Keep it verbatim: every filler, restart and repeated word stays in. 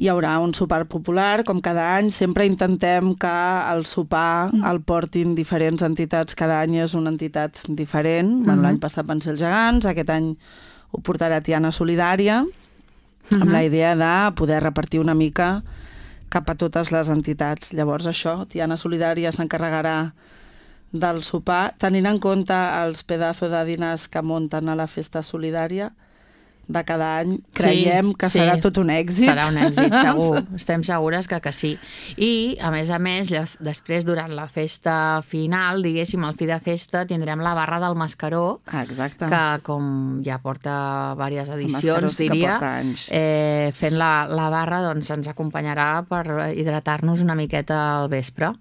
hi haurà un sopar popular, com cada any. Sempre intentem que el sopar mm. el portin diferents entitats. Cada any és una entitat diferent. Mm-hmm. Bueno, l'any passat van ser els gegants, aquest any ho portarà Tiana Solidària, mm-hmm. amb la idea de poder repartir una mica cap a totes les entitats. Llavors això, Tiana Solidària s'encarregarà del sopar, tenint en compte els pedazos de diners que munten a la festa solidària de cada any, creiem sí, que serà sí. tot un èxit. Serà un èxit, segur. Estem segures que, que sí. I, a més a més, després, durant la festa final, diguéssim, al fi de festa, tindrem la barra del Mascaró, Exacte. que com ja porta diverses edicions, sí diria, eh, fent la, la barra doncs, ens acompanyarà per hidratar-nos una miqueta al vespre.